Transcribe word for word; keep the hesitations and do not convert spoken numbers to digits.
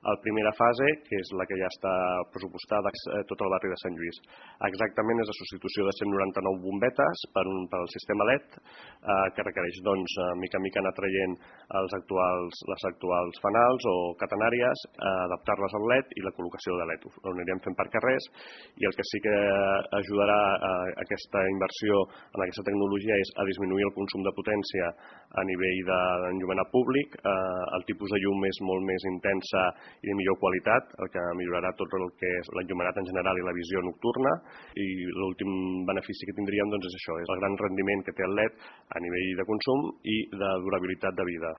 La primera fase, que és la que ja està pressupostada, és tot el barri de Sant Lluís. Exactament és la substitució de cent noranta-nou bombetes per, un, per el sistema L E D, eh, que requereix, doncs, mica en mica anar traient els actuals, les actuals fanals o catenàries, eh, adaptar-les al L E D i la col·locació de L E D. Ho anirem fent per carrers, i el que sí que ajudarà a aquesta inversió en aquesta tecnologia és a disminuir el consum de potència a nivell d'enllumenat públic. Eh, el tipus de llum és molt més intensa i de millor qualitat, el que millorarà tot el que és l'enllumenat en general i la visió nocturna, i l'últim benefici que tindríem, doncs, és això, és el gran rendiment que té el L E D a nivell de consum i de durabilitat de vida.